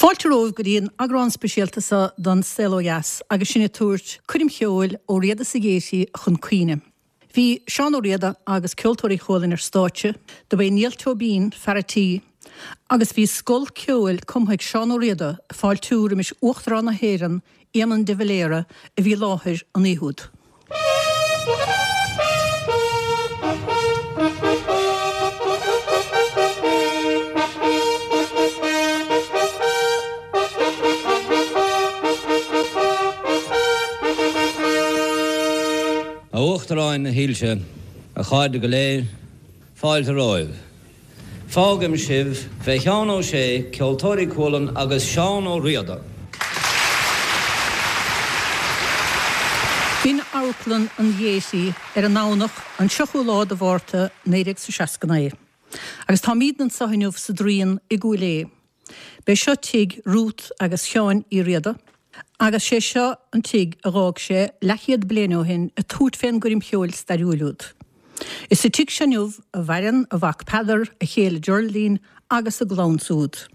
Fáilte romhaibh go dtí an eagrán speisialta seo don Saol Ó Dheas agus sinn ag tabhairt coirm cheoil Ó Riada sa Ghaiety chun cuimhne. Bhí Seán Ó Riada agus Ceoltóirí Chualann ar stáitse, do b'é Niall Tóibín fear a' tí agus bhí scol ceoil cumtha ag Seán Ó Riada ag fáiltiú roimis Uachtarán na hÉireann Éamon de Valera a bhí i láthair an oíche úd. A Uachtaráin dhílse, a chairde go léir, fáilte romhaibh. Fágaim sibh fé Sheán Ó Sé, Ceoltóirí Cualann agus Seán Ó Riada. B'in Amharclann an Ghaiety ar an nDomhnach an 3ú lá de Mhárta 1969. Agus táimídne anso inniu sa Draíon i gCúil Aodha. B'é seo tigh Ruth agus Sheáin Uí Riada agus sé seo an tigh a dh'fhág sé leathchéad bliain ó shin ag tabhairt fén gcoirm cheoil stairiúil úd. Is sa tigh seo inniu a mhaireann a mhac Peadar, a chéile Geraldine agus a gclann súd.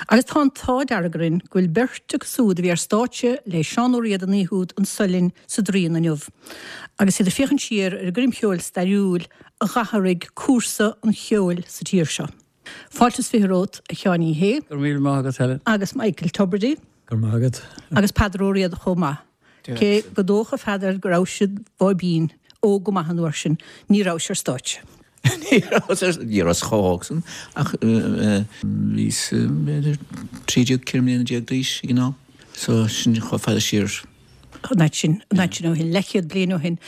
Agus tá an t-ádh dearg orainn go bhfuil beirt acu súd a bhí ar stáitse le Seán Ó Riada an oíche úd anso linn sa Draíon inniu agus iad ag féachaint siar ar an gcoirm cheoil stairiúil a dh'athraigh cúrsa an cheoil sa tír seo. Fáilte is 20 romhat, a Sheáin Uí Shé. Go raibh míle maith agat, Helen. Agus Michael Tubridy. Go raibh maith agat. Agus Peadar Ó Riada chomh maith. Cé gur dócha, a Pheadair, go rabhais id bháibín, óg go maith an uair sin, ní rabhais ar stáitse. Ní rabhas ar, ní rabhas chomh hóg san ach bhíos b'fhéidir 13, 14 mbliana d'aois ag an am. So sin chomh fada siar. An fhad sin, an fhad sin ó shin, leathchéad bliain ó shin.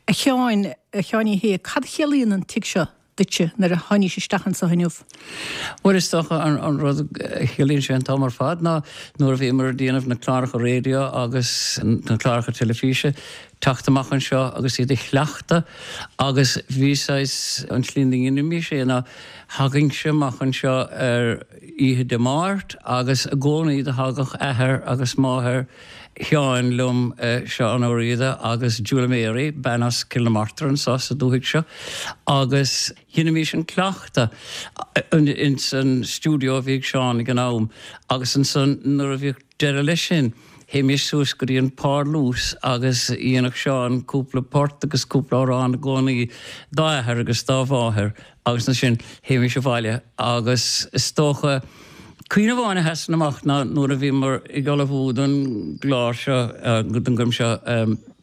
A Sheáin, a Sheáin Uí Shé, cad a chiallaíonn an tigh seo? duitse nuair a tháinís isteach anso inniu? Bhuel, is dócha an rud a chiallaíonn sé an t-am ar fad ná nuair a bhíomar ag déanamh na cláracha raidió agus na cláracha teilifíse, teacht amach anseo agus iad a chleachtadh agus bhí saghas, an tslí ina ndeinimís é ná thagainnse amach anseo ar oíche Dé Máirt agus i gcónaí do thagadh athair agus máthair Sheáin liom, Seán Ó Riada agus Julia Mary, bean as Cill na Martra anso sa dúthaigh seo, agus dheinimís an cleachtadh ins an stiúideo a bhí ag Seán ag an am agus ansan nuair a bhíodh deireadh leis sin théimís suas go dtí an parlús agus dhéanadh Seán cúpla port agus cúpla amhrán i gcónaí dá athair agus dá mháthair Agus ansin théimis abhaile agus is dócha, cuimhne amháin a sheasann amach ná nuair a bhíomar ag ullmhú don gclár seo, don gcoirm seo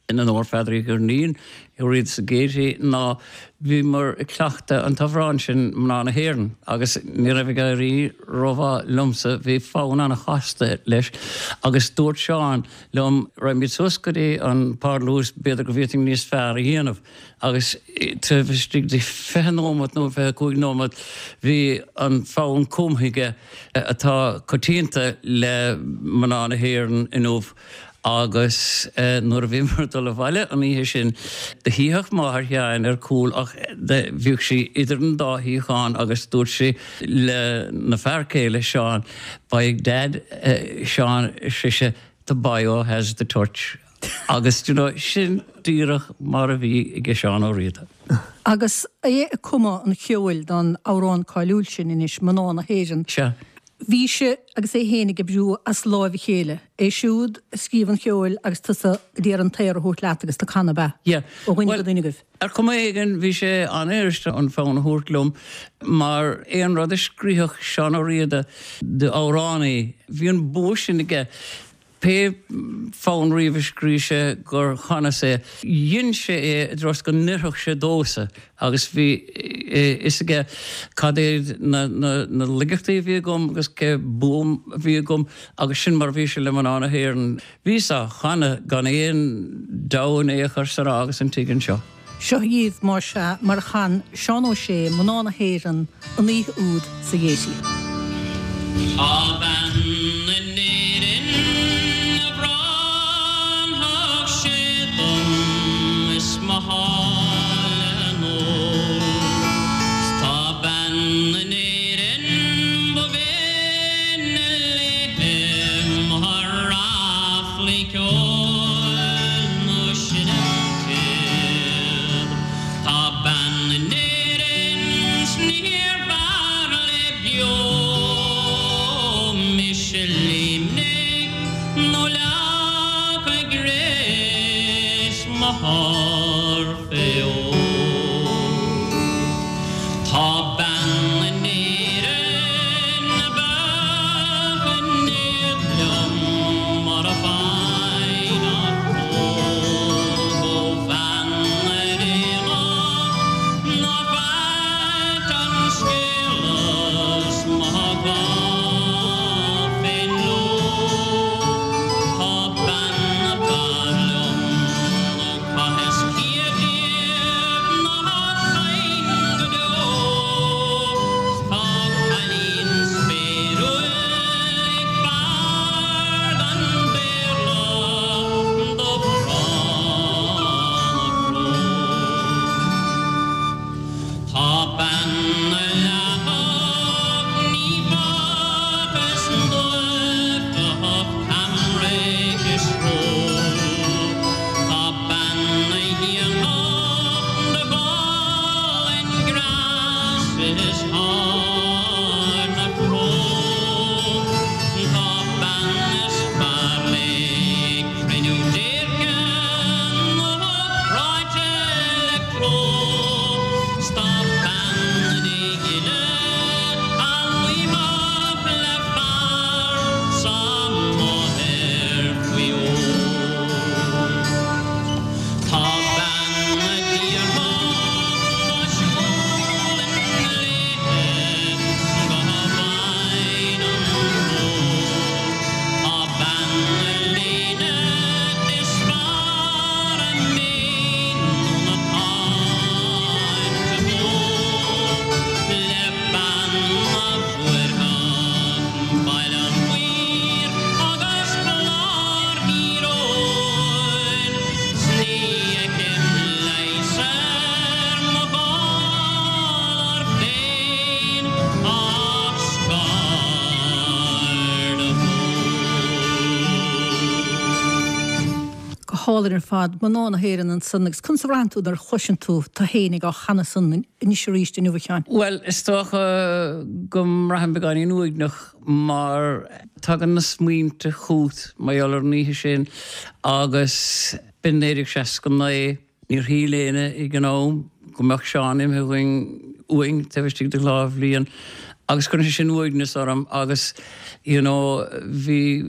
in onóir Pheadair Uí Dhoirnín, Ó Riada sa Gaiety, ná bhíomar ag cleachtadh an t-amhrán sin, Mná na hÉireann, agus ní raibh ag éirí rómhaith liomsa, bhí fonn an-chasta leis agus dúirt Seán liom, raghaimid suas go dtí an parlús, b'fhéidir go bhféadfainn níos fearr a dhéanamh. Agus taobh istigh de 20 nóiméad nó 25 nóiméad bhí an fonn cumtha aige atá coitianta le mná na hÉireann inniu agus nuair a bhíomar ag dul abhaile an oíche sin do shuíodh máthair Sheáin ar cúl ach bhíodh sí idir an dá shuíochán agus dúirt sí le na fear céile Seán, By Dad, Seán, ar sise, the boyo has the touch. Agus, do you know, sin díreach mar a bhí ag Seán Ó Riada. Agus é ag cumadh an cheoil don amhrán cáiliúil sin anois, Mná na hÉireann, Sea. bhí sé agus é féin ag oibriú as láimh a chéile, é siúd ag scríobh an cheoil agus tusa ag iarraidh an t-aer a thabhairt leat agus tú ag canadh, ab ea? Yeah. Ó dhuine go duine agaibh. Ar chuma éigin, bhí sé an-fhuirist an fonn a thabhairt liom, mar aon rud a scríobhadh Seán Ó Riada d'amhránaí, bhí an bua sin aige. Pé fonn riamh a scríobh sé gur chanas é, dhein sé é i dtreo is go n-oirfeadh sé domhsa agus bhí a fhios aige cad iad na laigeachtaí a bhí agam agus cé bua a bhí agam agus sin mar a bhí sé le Mná na hÉireann. Bhíos á chanadh gan aon dabht in aon chor san agus an tigh anseo. Seo dhaoibh, más ea, mar a chan Seán Ó Sé Mná na hÉireann an oíche úd sa Ghaiety. Tá bean in Éirinn a bhronnfadh sé dom is mo sháile anall 's tá bean in Éirinn ba bhinne léithe mo ráflaí ceoil nó seinm téad. Tá bean in Éirinn 's níorbh fhearr léi beo mé. hálainn ar fad, Mná na hÉireann ansan agus conas a bhraitheann tú nuair a chloiseann tú tú fhéinig á chanadh san anois arís inniu a Sheáin? Bhuel, is dócha go mbraithim beagáinín uaigneach mar tagann na smaointe chút mar gheall ar an oíche sin agus b'in 1969. Níor shíl éinne ag an am go mbeadh Seán imithe uainn uainn taobh istigh de dhá bhliain agus cuireann sé sin uaigneas orm agus you know bhí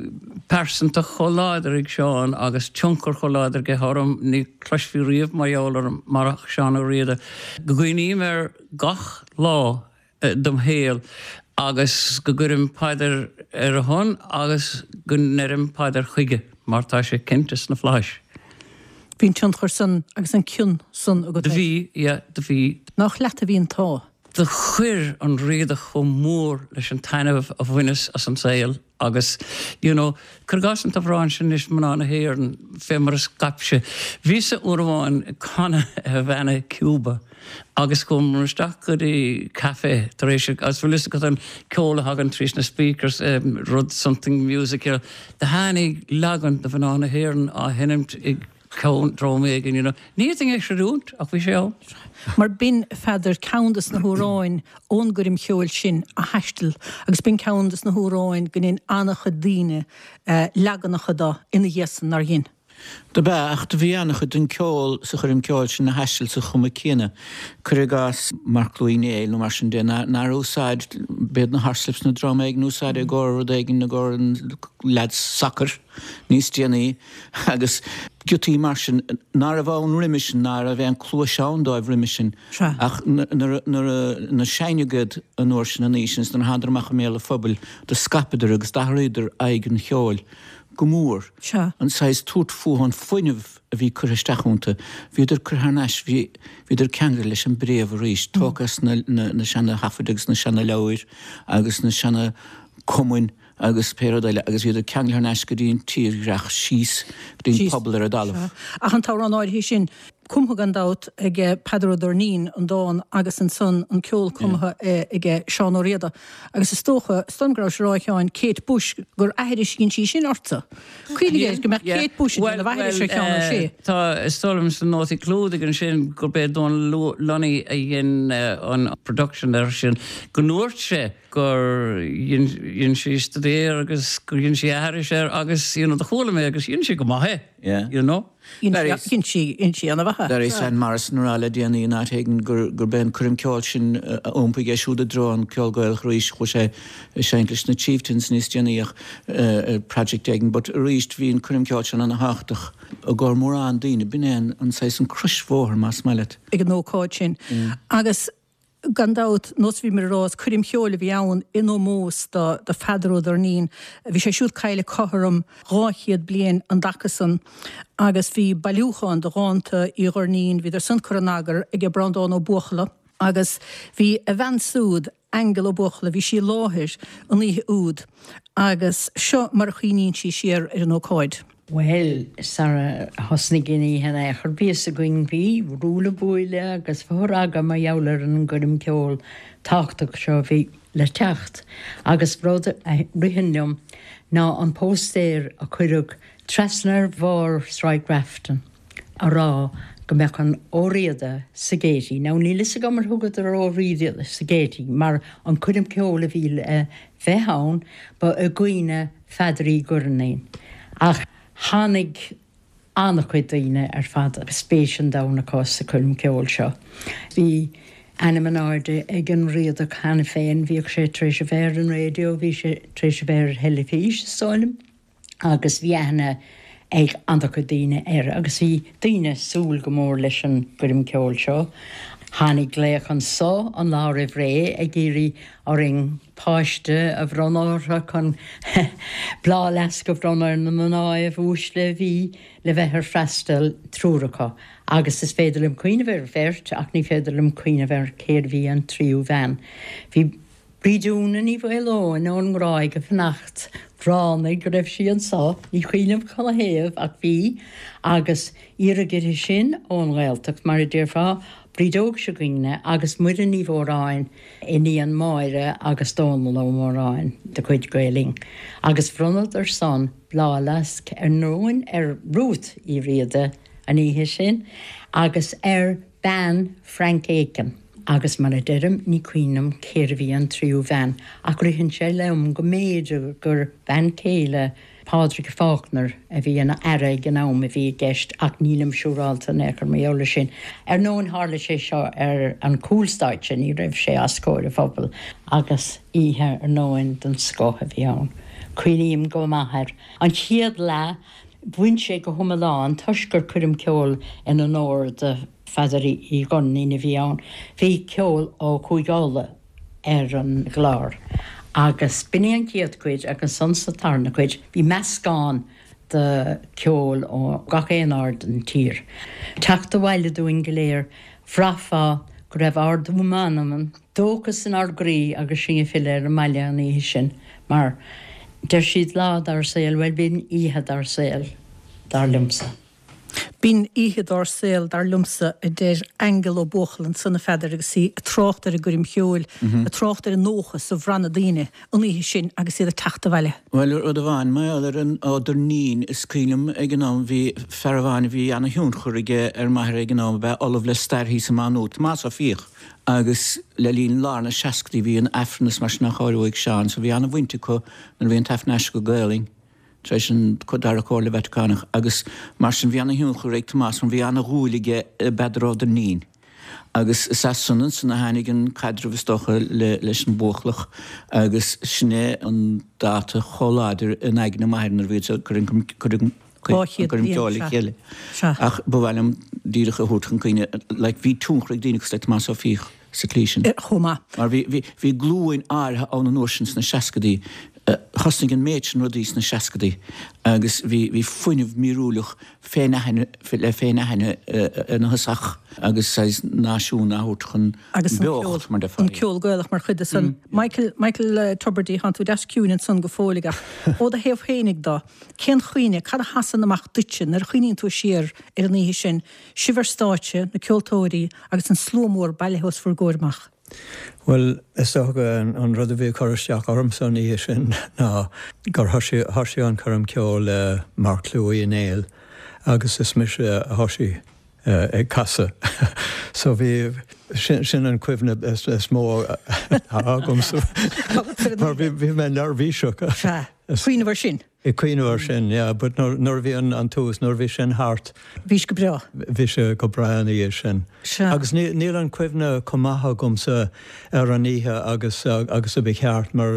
pearsantacht chomh láidir ag Seán agus tionchar chomh láidir aige orm, ní chloisfí riamh mar gheall orm marach Seán Ó Riada. Go gcuimhním air gach lá dem shaol agus go gcuirim paidir ar a shon agus go ndeirim paidir chuige mar tá sé cinnte sna Flaithis. Bhí an tionchar san agus an cion san agat air. Do bhí, yeah, do bhí. Nach leat a bhí an t-ádh. Do chuir an Riadach chomh mór leis an taitneamh a bhaineas as an saol agus, you know, cuir i gcás an t-amhrán sin anois, Mná na hÉireann, fé mar a scaip sé. Bhíos-sa uair amháin ag canadh i Havana, Cuba agus chuamar isteach go dtí café tar éis, agus bhfuil fhios agat an ceol a thagann tríd na speakers, rud something music, you know, do tháinig leagan de Mhná na hÉireann á sheinmt ag ceann dream éigin, you know. Ní fhéadfainn é a chreidiúint ach bhí sé ann. Mar b'in, a Pheadair, ceann des na hamhráin ón gcoirm cheoil sin a thaistil agus b'in ceann des na hamhráin go ndein an-chuid daoine leaganacha de ina dhiaidh san, nár dhein? Dob ea, ach do bhí an-chuid den ceol sa choirm ceoil sin a thaistil sa chuma céanna. Cuir i gcás Marclú Uí Néill nó mar sin de, nár úsáid, b'iad na Horslips nó dream éigin a úsáid i gcomhair rud éigin, i gcomhair an leaids sacair níos déanaí agus giotaí mar sin ná raibh ann roimhe sin, ná raibh aon cluais ann dóibh roimhe sin. Ach nuair a seinneadh iad an uair sin, an oíche sin, is nuair a thánadar amach i mbéal an phobail, do scaipeadar agus d'athraíodar aghaidh an cheoil go mór. An saghas tabhairt fúthu, an fuinneamh a bhí curtha isteach iontu, bhíodar curtha thar n-ais, bhí, bhíodar ceangailte leis an bpréamh arís, tógtha as na, na, na seana-thaifid agus na seana-leabhair agus na seana-chumainn agus pé rud eile, agus bhíodar ceangailte thar n-ais go dtí an tírdhreach síos go dtí an pobal ar an dtalamh. Ach an t-amhrán áirithe sin, cumtha gan dabht ag Peadar Ó Doirnín, an dán, agus ansan an ceol cumtha aige Seán Ó Riada. Agus is dócha, is dóigh liom go rabhais ag rá a Sheáin, Kate Bush, gur aithris a dhein sí sin ortsa. Cuimhnigh air, go mbeadh Kate Bush ag déanamh aithris ar Sheán Ó Sé. Tá, is dóigh liom sna nótaí clúdaigh ansin gurb é Dónal Lunny a dhein an production air sin, go ndúirt sé gur dhein sí staidéar agus gur dhein sí aithris air agus you know do chuala mé agus dhein sí go maith é, you know. Dhein sí, dhein sí ana-mhaith é. Larry Van Morrison a rá le déanaí in áit éigin gurb é an coirm ceoil sin a iompaigh é siúd i dtreo an ceol Gaelach arís. Chuaigh sé ag seinnt leis na Chieftains níos déanaí ach ar project éigin but arís bhí an coirm ceoil sin ana-thábhachtach i gcomhair mórán daoine. B'in é an saghas an croisbhóthar más maith leat. ag an ócáid sin agus Gan dabht, nós a bhíomar ag rá, is coirm cheoil a bhí ann in ómós do Pheadar Ó Doirnín. Bhí sé siúd caillte cothrom 200 bliain an dtaca san agus bhí bailiúchán de dhánta Uí Dhoirnín, bhíodar san curtha in eagar aige Breandán Ó Buachalla agus bhí a bhean súd, Aingeal Ó Buachalla, bhí sí i láthair an oíche úd agus seo mar a chuimhníonn sí siar ar an ócáid. Bhuel, sara thosnaigh an oíche in aon chor, bhí fhios againn, bhí ruaille buaille agus fothragadh mar gheall ar an gcoirm ceoil tábhachtach seo a bhí le teacht. Agus rud a ritheann liom ná an póstaer a cuireadh trasna ar bharr Sráid Grafton a rá go mbeadh an Ó Riada sa Gaiety. Now níl fhios agam ar thugadar Ó Riada sa Gaiety mar an coirm ceoil a bhí le bheith ann ba i gcuimhne Pheadair Uí Dhoirnín. Ach tháinig an-chuid daoine ar fad agus spéis an domhain acu sa choirm ceoil seo. Bhí ainm in airde ag an Riadach cheana féin, bhíodh sé tar éis a bheith ar an raidió, bhí sé tar éis a bheith ar theilifís, is dóigh liom, agus bhí aithne ag an-chuid daoine air agus bhí daoine ag súil go mór leis an gcoirm ceoil seo. Tháinig glaoch anso an lá roimh ré ag iarraidh orainn páiste a bhronnadh orthu chun bláthfhleasc a bhronnadh ar na mnáibh uaisle a bhí le bheith ar freastal, triúr acu, agus is féidir liom cuimhneamh ar bheirt ach ní féidir liom cuimhneamh ar cérbh í an tríú bhean. Bhí Bríd Úna Ní Mhaoileoin ón nGráig ag fanacht, ráinig go raibh sí anso, ní cuimhin liom canathaobh ach bhí, agus iarradh uirthi sin ón nGaeltacht, mar a déarfá. Bríd Óg seo 'gainne agus Muireann Ní Mhóráin, iníon Máire agus Dónal Ó Móráin de chuid Gael Linn, agus bhronnadar san bláthfhleasc ar ndóin ar Ruth Uí Riada an oíche sin agus ar bean Frank Aiken agus mar a deirim ní cuimhin liom cérbh í an tríú bhean ach ritheann sé liom go mb'fhéidir gur bean chéile Pádraig Faulkner, a bhí ina aire ag an am, a bhí i gceist ach nílim siúrálta in aon chor mar gheall air sin. Ar ndóin tharla sé seo ar an chúlstáitse, ní raibh sé os comhair an phobail agus oíche ar ndóin den scoth a bhí ann. Cuimhním go maith air. An chéad leath, bhain sé go hiomlán toisc gur coirm ceoil in onóir do Pheadar Uí Dhoirnín a bhí ann. Bhí ceol ó Chúige Uladh ar an gclár agus b'in í an chéad chuid agus ansan sa tarna cuid bhí meascán de cheol ó gach aon aird den tír. Teacht abhaile dúinn go léir bhraithfeá go raibh ardú meanman, dóchas inár gcroí agus sinn ag filleadh ar an mbaile an oíche sin mar deir siad lá dár saol, bhuel b'in oíche dár saol dar liomsa. B'in oíche dár saol, dar liomsa, a deir Aingeal Ó Buachalla ansan, a Pheadair, agus í ag trácht ar an gcoirm cheoil, ag trácht ar an ndóchas a bhraith na daoine an oíche sin agus iad ag teacht abhaile. Bhuel, rud amháin, mar gheall ar an Ó Doirnín, is cuimhin liom ag an am, bhí fear amháin a bhí ana-thionchar aige ar m'athair ag an am, ab ea Ollamh le Stair thíos i Má Nuad, Tomás Ó Fiaich, agus le linn lár na seascadaí bhí an Aifreann is mar sin á chóiriú ag Seán, so bhí ana-bhaint acu nuair a bhí an tAifreann aistrithe go Gaelainn. tar éis an Dara Comhairle Vatacánach agus mar sin bhí ana-thionchar ag Tomás mar bhí ana-dhúil aige i bPeadar Ó Doirnín agus is as san ansan a tháinig an caidreamh is dócha leis an Bhuachallach agus sin é an dáta chomh láidir in aigne m'athar nuair a bhíod ag cur an coirm ceoil le chéile. Ach ba mhaith liom díreach a thabhairt chun cuimhne like bhí tionchar ag daoine cosúil le Tomás Ó Fiaich sa tslí sin. Chomh maith. Mar bhí, bhí, bhí glúin áirithe ann an uair sin sna seascadaí, thosnaigh an méid sin rudaí sna seascadaí agus bhí, bhí fuinneamh míorúileach féin-aithne, le féin-aithne ina thosach agus saghas náisiún á thabhairt chun Agus an ceol, beocht, mar déarfá. an ceol Gaelach mar chuid de san. Michael, Michael Tubridy, thánn tú deas ciúin ansan go fóilligh ach ó do thaobh féinig do, cén chuimhne, cad a sheasann amach duitse nuair a chuimhníonn tú siar ar an oíche sin, Sibh ar stáitse, na ceoltóirí agus an slua mór bailithe os bhur gcomhair amach. Bhuel, is dócha an rud a bhí ag cur isteach ormsa an oíche sin ná gur thoisigh thoisigh an choirm ceoil le Marc Uí Néill agus is mise a thoisigh ag casadh. So bhí, sin sin an cuimhne is mó atá agamsa mar bhí bhí mé neirbhíseach. Sea, cuimhneamh air sin. Ag cuimhneamh air sin, yeah, but nuair a bhí an tús, nuair a bhí sin thart. Bhí sé go breá. Bhí sé go breá ina dhiaidh sin. Sea. Agus níl an cuimhne chomh maith agamsa ar an oíche agus agus a ba cheart mar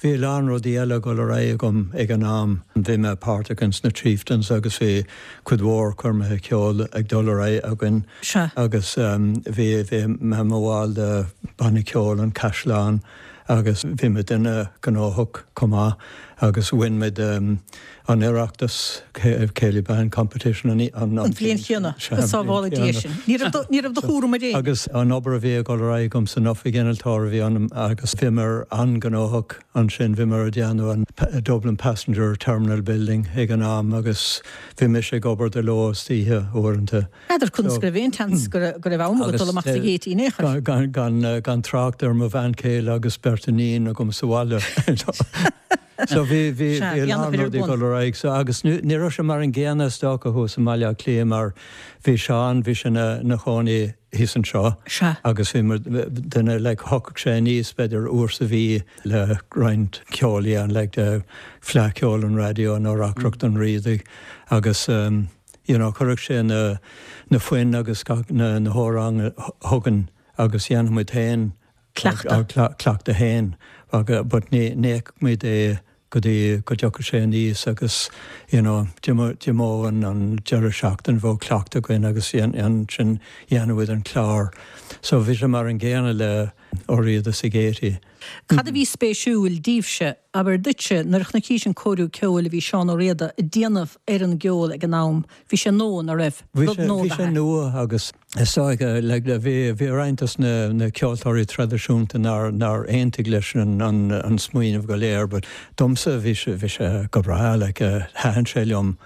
bhí a lán rudaí eile ag dul ar aghaidh agam ag an am. Bhí mé páirteach ins na Chieftains agus bhí cuid mhór coirmeacha ceoil ag dul ar aghaidh againn. Sea. Agus bhí bhí mé i mo bhall de Banna Ceoil an Chaisleáin. agus bhí muid an-ghnóthach chomh maith agus bhain muid an Oireachtas Céilí Band Competition an bhliain chéanna. Go sábhála Dia sinn. Ní raibh ní raibh do chúram ar éinne. Agus an obair a bhí ag dul ar aghaidh agam san oifig innealtóir a bhí ionam agus bhíomar an-ghnóthach ansin, bhíomar ag déanamh an Dublin Passenger Terminal Building ag an am agus bhí mise ag obair de ló is d'oíche uaireanta. N'fheadar conas go raibh aon tseans go raibh am agat dul amach sa Ghaiety in aon chor. Gan trácht ar mo bhean chéile agus beirt iníon agam sa bhaile. So bhí bhí a lán rudaí ag dul ar aghaidh. So agus ní raibh sé mar an gcéanna is dócha thuas i mBaile Átha Cliath mar bhí Seán, bhí sé ina chónaí thíos anseo agus bhí muid duine like thiocfadh sé aníos b'fhéidir uair sa mhí le roinnt ceoil a dhéanamh like de Fleadh Cheoil an Raidió nó Reacaireacht an Riadaigh agus you know chuirfeadh sé na na foinn agus gach na na hamhráin chugainn agus dhéanfadh muid féin Cleachtadh. cleachtadh féin aga but ní ní fheicfeadh muid é go dtí go dtiocfadh sé aníos agus you know d'imeodh an an deireadh seachtaine bheadh cleachtadh againn agus ansin dhéanfadh muid an clár. So bhí sé mar an gcéanna le Ó Riada sa Ghaiety. Cad a bhí spéisiúil daoibhse, abair duitse, nuair a chonaicis an cóiriú ceoil a bhí Seán Ó Riada ag déanamh ar an gceol ag an am? Bhí sé nua, ná raibh? Bhí sé, bhí sé nua agus is dóigh like bhí, bhí roinnt dos na, na ceoltóirí traidisiúnta nár, nár aontaigh leis an, an, an smaoineamh go léir but domsa bhí sé, bhí sé go breá like thaitin sé liom.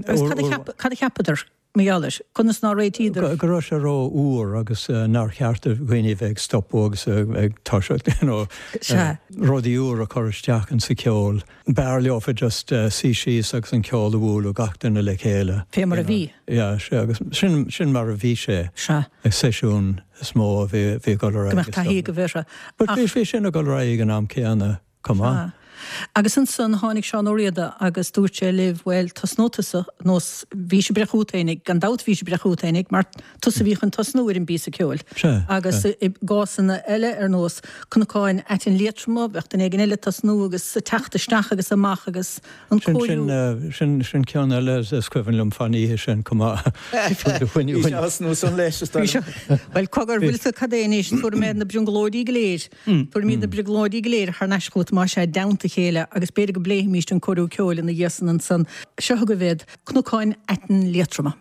Agus cad a cheap, cad a cheapadar? Mar gheall air. Conas nár réitíodar? Go raibh sé ró-fhuar agus nár cheart do dhaoine a bheith ag stopadh agus ag toiseacht, you know, rudaí úra a chur isteach insa cheol. B'fhearr leofa just suí síos agus an ceol a bhualadh, gach duine le chéile. Fé mar a bhí. Yeah, sea, agus sin, sin mar a bhí sé. Sea. Ag seisiún is mó a bhí, bhí ag dul ar aghaidh. Go mbeadh taithí agaibh orthu. But bhí sin ag dul ar aghaidh ag an am céanna. Chomh maith. Sea. Agus ansan tháinig Seán Ó Riada agus dúirt sé libh, bhuel, tosnóidh tusa, nós bhís ag breith chugat fhéinig, gan dabht bhís ag breith chugat fhéinig, mar tusa a bhí chun tosnú ar an bpíosa ceoil. Sea. Agus i gcásanna eile, ar nós Cnocáin Aitinn Liatroma, bheadh duine éigin eile ag tosnú agus ag teacht isteach agus amach agus an cóiriú. Sin, sin, sin ceann eile is cuimhin liom fán oíche sin chomh maith. Bhí sé thosnú san leis, is dóigh liom. Bhuel, cogar, bhfuil 's agat cad é anois, tabharfaidh mé na brionglóidí go léir. Tabharfaimid na brionglóidí go léir thar n-ais chugat más ea i dteannta a chéile agus b'fhéidir go bpléifimíst an cóiriú ceoil ina dhiaidh san ansan. Seo chugaibh iad, Cnocáin Aitinn Liatroma.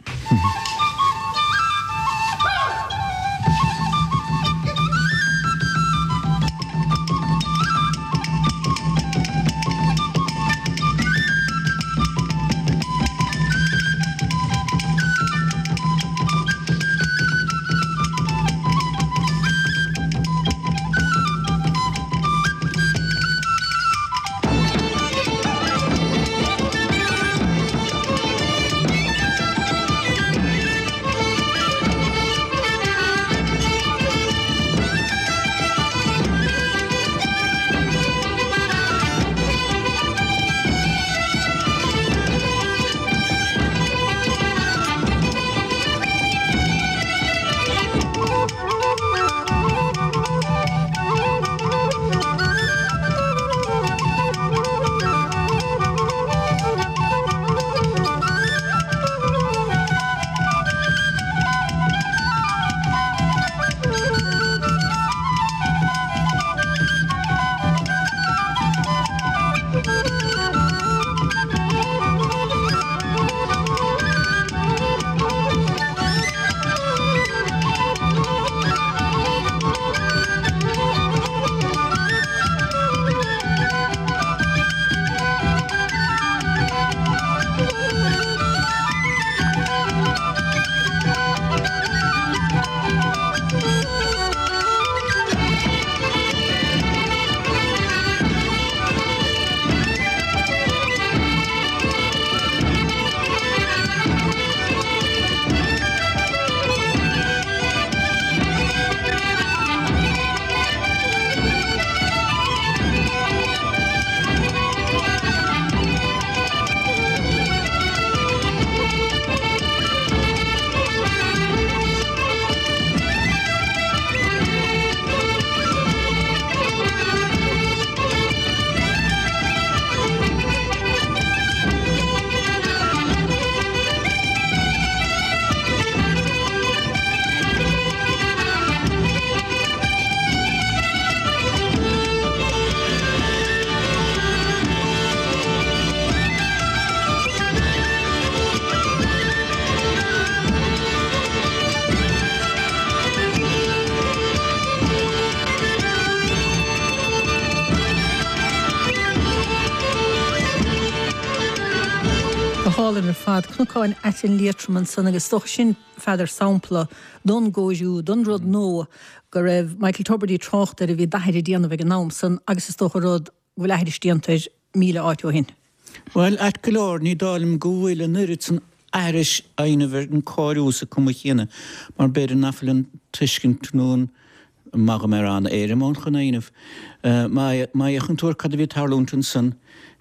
Go hálainn ar fad. Cnocáin Aitinn Liatroma ansan agus is dócha sin, Pheadair, sampla don gcóiriú, don rud nua go raibh Michael Tubridy ag trácht air a bhí d'athair ag déanamh ag an am san agus is dócha rud go bhfuil aithris déanta air 1,000 áit ó shin. Bhuel, ait go leor, ní dóigh liom go bhfuil an oiread san aithris á dhéanamh ar an cóiriú sa cuma chéanna mar b'fhéidir nach bhfuil an tuiscint nó an maith go mbeadh an éirim ann chun é a dhéanamh. Má fhéachann tú ar cad a bhí ag tarlúint ansan,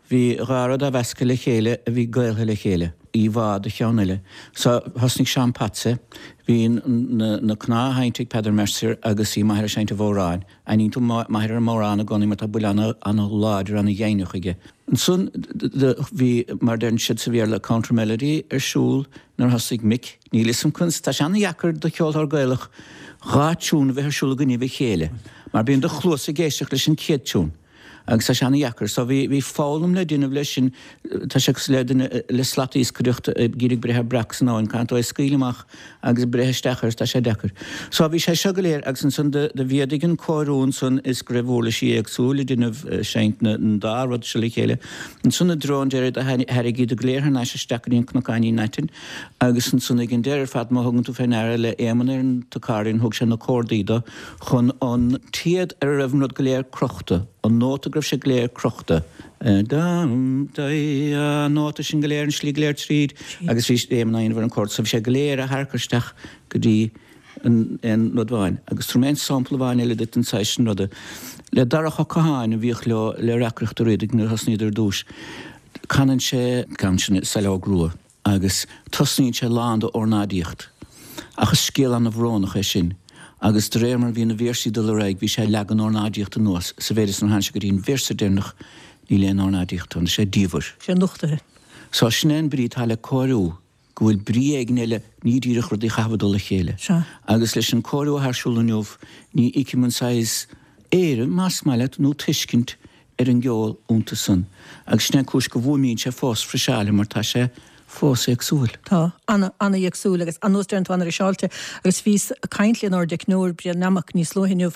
bhí dha rud á mheascadh le chéile a bhí gaoltha le chéile, íomhá de cheann eile. So, thosnaigh Seán Patsy, bhí na cnámha á sheinnt ag Peadar Mercier agus bhí m'athair ag seinnt an bhodhráin. Aithníonn tú m'athair ar an mbodhrán i gcónaí mar tá buille ana-láidir, ana-dheimhneach aige. Ansan bhí, mar a deireann siad sa Bhéarla, counter melody ar siúl nuair a thosaigh Mick. Níl 'fhios a'm conas, tá sé ana-dheacair do cheoltóir Gaelach dhá tiún a bheith ar siúl i gcoinnibh a chéile mar bíonn do chluasa ag éisteacht leis an chéad tiún. Agus tá sé ana-dheacair. So bhí, bhí foghlaim le déanamh leis sin. Tá sé cosúil le duine le slat iascaireachta ag iarraidh breith ar breac san abhainn, caithfidh tú é a scaoileadh amach agus breith isteach air, tá sé deacair. So bhí sé seo go léir agus ansan do, do mhéadaigh an cóiriú ansan is go raibh uirlisí éagsúil ag déanamh, seinnt na, an dá rud seo le chéile. Ansan i dtreo an deiridh do thairrig iad go léir thar n-ais isteach go dtí an Cnocáinín Aitinn agus ansan ag an deireadh ar fad má thugann tú fé ndeara le Éamonn ar an t-accordion thug sé na córdaí do chun an téad ar a raibh an rud go léir crochta, an nóta go raibh sé go léir crochta, dam, dai, an nóta sin go léir, an slí go léir tríd agus bhí Éamonn á dhéanamh ar an chord so bhí sé go léir á tharchur isteach go dtí an aon rud amháin. Agus tabharfaidh mé aon sampla amháin eile duit den saghas sin ruda. Le Darach Ó Catháin a bhíodh leo le Reacaireacht Uí Riadaigh nuair a thosnaíodar ar dtús, canann sé an ceann sin Saileog Rua. Agus tosnaíonn sé lán d'ornáidíocht. Ach is scéal ana-bhrónach é sin. Agus de réir mar a bhí na véarsaí ag dul ar aghaidh bhí sé ag leagan ornáidíocht anuas, sa mhéid is nuair a tháinig sé go dtí an véarsa deireanach níl aon ornáidíocht ann, tá sé diamhair. sé nochtaithe. So sin é an brí atá le cóiriú, go bhfuil brí éigin eile, ní díreach rudaí a chaitheamh i dtoll a chéile. Sea. Agus leis an cóiriú atá ar siúl inniu ní fheicim an saghas éirim, más maith leat, nó tuiscint ar an gceol iontu san. Agus sin é an cúis go bhfuaimníonn sé fós friseáilte mar tá sé fós éagsúil. Tá. Ana, ana-éagsúil agus ar nós deireann tú ana-fhriseáilte. Agus bhíos ag caint lenár dteicneoir Brian Nammock níos luaithe inniu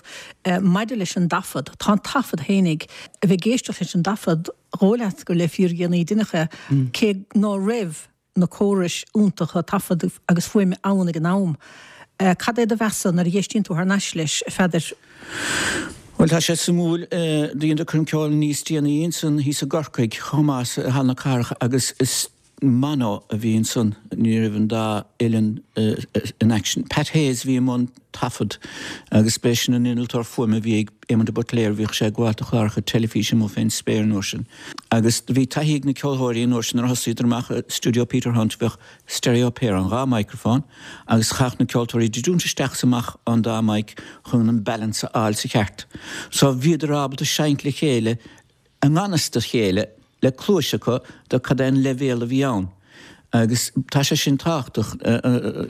maidir leis an dtaifead. Tá an taifead fhéinig, a bheith ag éisteacht leis an dtaifead, dhóigh leat gur le fíordhéanaí a deineadh é, cé ná raibh na córais iontacha taifead agus fuaime ann ag an am. Cad é do mheas-sa nuair a dh'éistíonn tú thar n-ais leis, a Pheadair? Bhuel, tá sé suimiúil, dheineadar coirm ceoil níos déanaí ansan thíos i gCorcaigh chomh maith, i Halla na Cathrach agus is mono a bhí ansan, ní raibh an dá uilleann in action. Pat Hayes a bhí i mbun taifead agus b'é sin an innealtóir fuaime a bhí ag Éamon de Buitléar, bhíodh sé ag gabháil do chláracha teilifíse amuigh fén spéir an uair sin. Agus bhí taithí ag na ceolthóirí an uair sin nuair a thosaíodar amach i stiúideo Peter Hunt, bheadh stereo pair ann, dhá microphone, agus chaithfeadh na ceoltóirí druidiúint isteach is amach an dá mic chun an balance a fháil sa cheart. So bhíodar ábalta seinnt le chéile i ngan fhios dá chéile le cluais acu do cad é an leibhéal a bhí ann. Agus tá sé sin tábhachtach.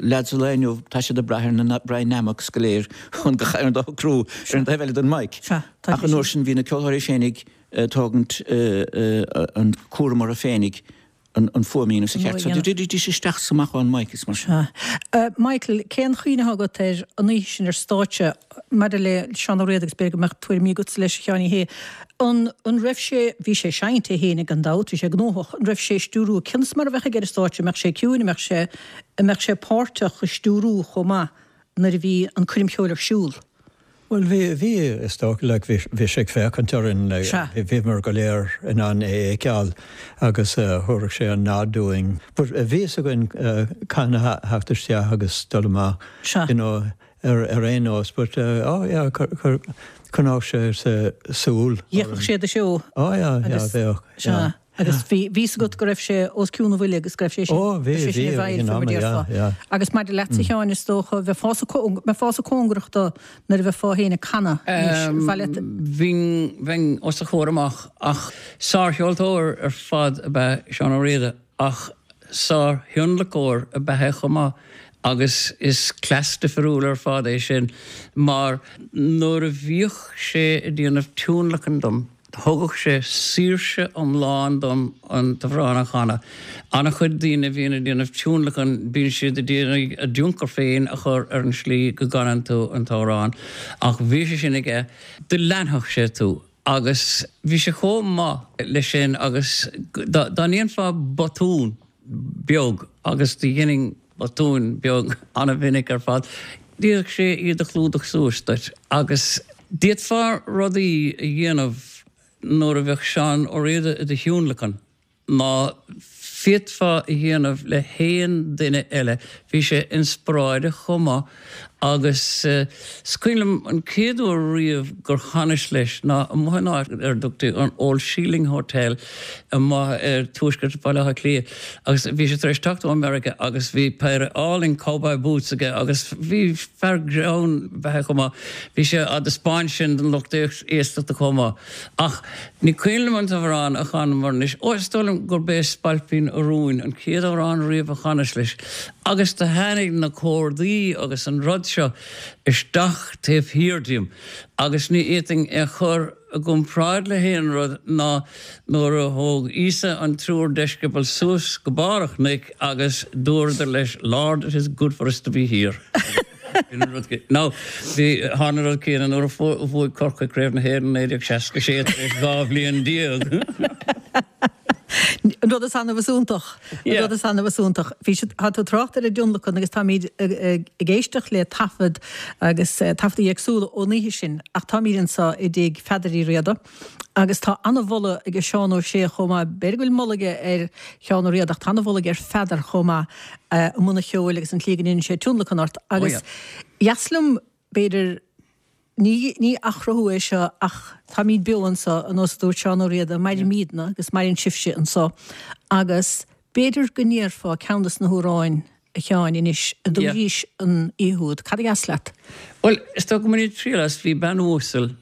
Leaids an lae inniu, tá siad ag brath ar na Brian Nammocks go léir chun gach aon rud a shocrú ar an taobh eile den mic. Ach an uair sin bhí na ceoltóirí féinig ag tógaint an cúram orthu féinig an fuaim a dhéanamh sa cheart. So d'fhéadaidís isteach is amach ón mic is mar sin. Sea. Michael, cén chuimhne atá agat ar an oíche sin ar stáitse maidir le Seán Ó Riada agus b'fhéidir go mbeadh tuairimí agatsa leis, a Sheáin Uí Shé. An, an raibh sé, bhí sé ag seinnt é féin gan dabht, bhí sé gnóthach, an raibh sé ag stiúrú, cionn is mar a bheadh aige ar an stáitse, an mbeadh sé ciúin, an mbeadh sé, an mbeadh sé páirteach i stiúrú chomh maith nuair a bhí an coirm cheoil ar siúl? Bhuel, bhí, bhí, is dócha, like, bhí, bhí sé ag féachaint orainn, like, Sea. bhíomar go léir in ann é a fheiceáil agus thabharfadh sé an nod dúinn. But bhí fhios againn cathain a theacht isteach agus dul amach, Sea. you know, ar, ar aon nós. But, oh yeah, choinneodh sé súil orainn. D'fhéachfadh sé do seó. Oh yeah, yeah, Agus, bheadh, sea. yeah. Agus bhí, bhí fhios agat go raibh sé os cionn a bhuille agus go raibh sé sin, Ó, bhí, sé sin bhí, i bhfeighil in fé mar am, yeah, déarfá. yeah. Agus maidir leatsa a Sheáin, is dócha, bheifeása, bheifeása cóngarach do nuair a bheifeá féin ag canadh anois, ar mhaith leat. Bhínn, bheinn os a chomhair amach ach sárcheoltóir ar fad ab ea Seán Ó Riada ach sárthionlacóir ab ea é chomh maith agus is cleas difriúil ar fad é sin mar nuair a bhíodh sé ag déanamh tionlacan dom, Thugadh sé saoirse iomlán dom an t-amhrán a chanadh. An-chuid daoine a bhíonn ag déanamh tionlacan, bíonn siad ag iarraidh a dtionchar féin a chur ar an slí go gcanann tú an t-amhrán. Ach bhí sé sin aige, do leanfadh sé tú. Agus bhí sé chomh maith leis sin agus dá ndéanfá botún, beag agus do dheininn botúin beag an-mhinic ar fad. D'fhéadfadh sé iad a chlúdach suas duit agus d'fhéadfá rudaí a dhéanamh nuair a bheadh Seán Ó Riada i do thionlacan ná féadfá a dhéanamh le haon duine eile. Bhí sé inspioráideach chomh maith Agus is cuimhin liom an chéad uair riamh gur chanas leis ná amuigh in áit ar a dtugtaí an Old Shieling Hotel amuigh ar tuaisceart Bhaile Átha Cliath agus bhí sé tar éis teacht ó America agus bhí péire álainn cowboy boots aige agus bhí fear greann ab ea é chomh maith. Bhí sé á dtaispeáint sin don lucht éisteachta chomh maith. Ach ní cuimhin liom an t-amhrán a chanamar anois. Ó, is dóigh liom gurb é Spailpín a' Rúin an chéad amhrán riamh a chanas leis. Agus do tháinig na córdaí agus an rud seo isteach taobh thiar díom agus ní fhéadfainn é a chur. i gcomparáid le haon rud ná nuair a thóg Íosa an triúr deisceabal suas go barr an chnoic agus dúradar leis, Lord, it is good for us to be here. Now, bhí, tharla an rud céanna nuair a bhuaigh Corcaigh Craobh na hÉireann i 1966 tar éis 12 bhliain. An rud is annamh is iontach. An rud is annamh is iontach. Bhí siad, tá tú ag trácht ar an dtionlacan agus táimid ag éisteacht le taifead agus taifeadaí éagsúla ón oíche sin ach táimid anseo i dtigh Pheadair Uí Riada agus tá an-mholadh ag Seán Ó Sé chomh maith, b'fhéidir go bhfuil moladh aige ar Sheán Ó Riada ach tá an-mholadh aige ar Pheadar chomh maith i mbun an cheoil agus an tslí go ndéanann sé tionlacan ort agus dheas liom b'fhéidir Ní, ní athchruthú é seo ach táimid beo anseo, ar nós a dúirt Seán Ó Riada, mairimidne agus maireann sibhse anseo agus b'fhéidir go ndéarfá ceann de na hamhráin, a Sheáin, anois a dúraís an oíche úd. Cad a dheas leat? Bhuel, is dóigh go mbainfinn triail as Bhí Bean Uasal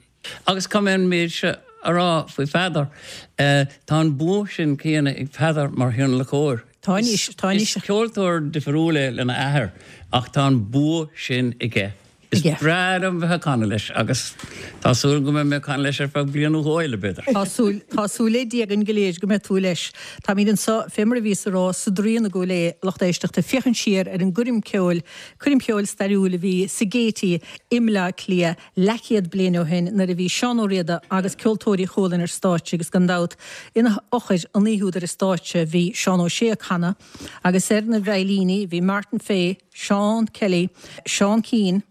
agus caithfidh mé an méid seo a rá faoi Pheadar, tá an bua sin céanna ag Peadar mar thionlacóir. Tá anois, tá anois. Is ceoltóir difriúil é lena athair ach tá an bua sin aige. Is breá liom bheith ag canadh leis agus tá súil go mbeidh mé ag canadh leis ar feadh bliain nó dhó eile, b'fhéidir. Tá súil, tá súil le Dia againn go léir go mbeidh tú leis. Táimid anseo, fé mar a bhíos a rá, sa Draíon i gCúil Aodha, lucht éisteachta, féachaint siar ar an gcoirm ceoil, coirm cheoil stairiúil a bhí sa Gaiety i mBleá Cliath leathchéad bliain ó shin nuair a bhí Seán Ó Riada agus Ceoltóirí Chualann ar stáitse agus gan dabht ina fhochair an oíche úd ar an stáitse bhí Seán Ó Sé ag canadh agus ar na veidhlíní bhí Martin Fay, Seán Kelly, Seán Keane,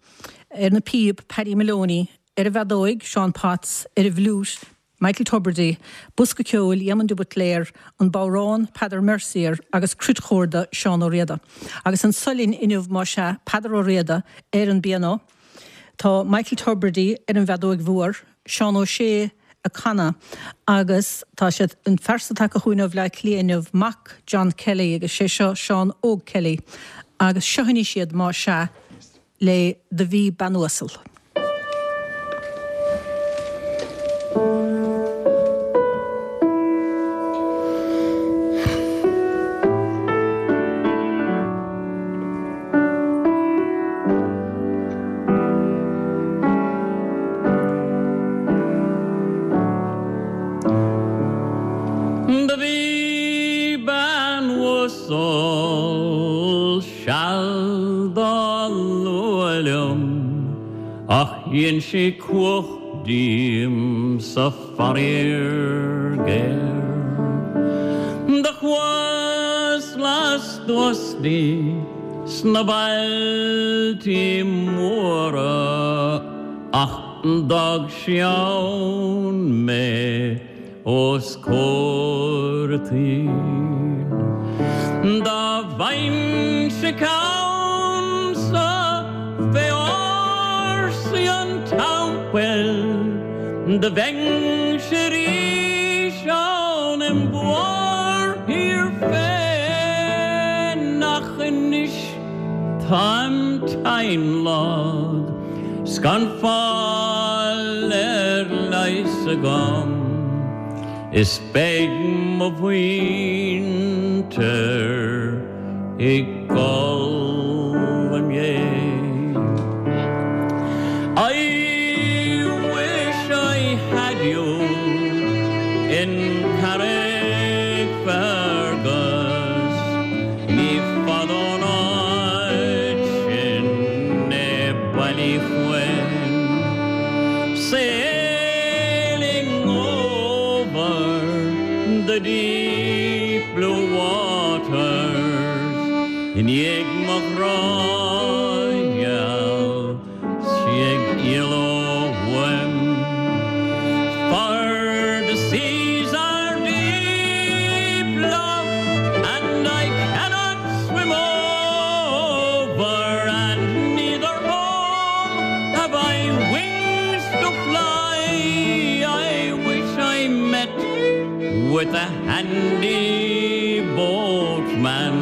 ar na píob, Paddy Moloney, ar an bhfeadóig, Seán Potts, ar an bhfliúit, Michael Tubridy, bosca ceoil, Éamonn de Buitléar, an bodhrán, Peadar Mercier agus cruitchorda, Seán Ó Riada. Agus anso linn inniu, más ea, Peadar Ó Riada ar an bpianó, tá Michael Tubridy ar an bhfeadóig mhór, Seán Ó Sé ag canadh agus tá siad, an phearsa atá tagtha chugainn ó Bhleá Cliath inniu, mac John Kelly agus sé seo Seán Óg Kelly agus seo anois iad más ea le Do Bhí Bean Uasal. Do bhí bean uasal seal dá lua liom ach dhein sí cuach díom-sa faraor géar. Do chuas lastuas di sna bailtí móra ach d'fhág sí ann mé os comhair an tsaoil. Dá bhfaighinnse ceannsa fé ársaí an teampaill do bheinnse arís ann im mhórthír féin ach anois táim tinn lag 's gan fáil ar leigheas agam is beidh mo mhuintir ag gol im dhéidh. I wish I had you in Carrickfergus Ní fada ón áit sin é Ballyquin Sailing over the deep blue waters I ndiaidh mo ghrá gheal 's í ag éaló uaim For the seas are deep, love, and I cannot swim over And neither home have I wings to fly I wish I met with a handy boatman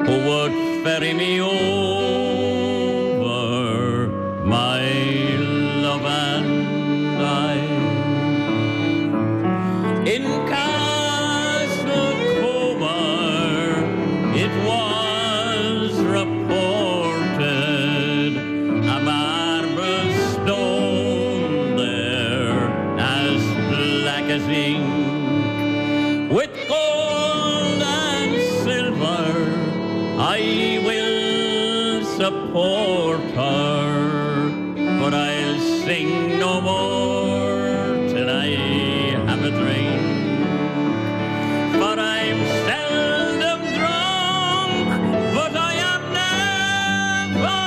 Who would ferry me over, my love and I. In Castlecomer it was reported a marble stone there I will support her, but I'll sing no more till I have a drink. For I'm seldom drunk, but I am never